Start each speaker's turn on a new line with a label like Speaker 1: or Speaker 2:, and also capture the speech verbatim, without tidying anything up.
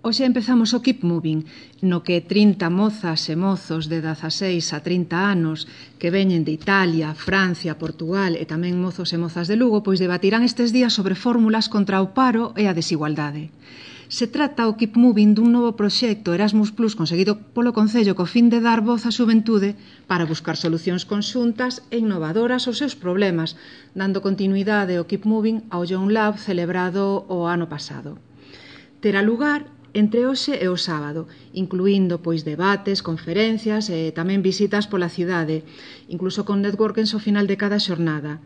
Speaker 1: Hoxe empezamos o Keep Moving, no que trinta mozas e mozos de dezaseis a trinta anos que veñen de Italia, Francia, Portugal e tamén mozos e mozas de Lugo pois debatirán estes días sobre fórmulas contra o paro e a desigualdade. Se trata o Keep Moving dun novo proxecto Erasmus Plus conseguido polo Concello co fin de dar voz á xuventude para buscar solucións conxuntas e innovadoras aos seus problemas, dando continuidade ao Keep Moving ao Young Lab celebrado o ano pasado. Terá lugar entre hoxe e o sábado, incluindo pois debates, conferencias e tamén visitas pola cidade, incluso con networkings ao final de cada xornada.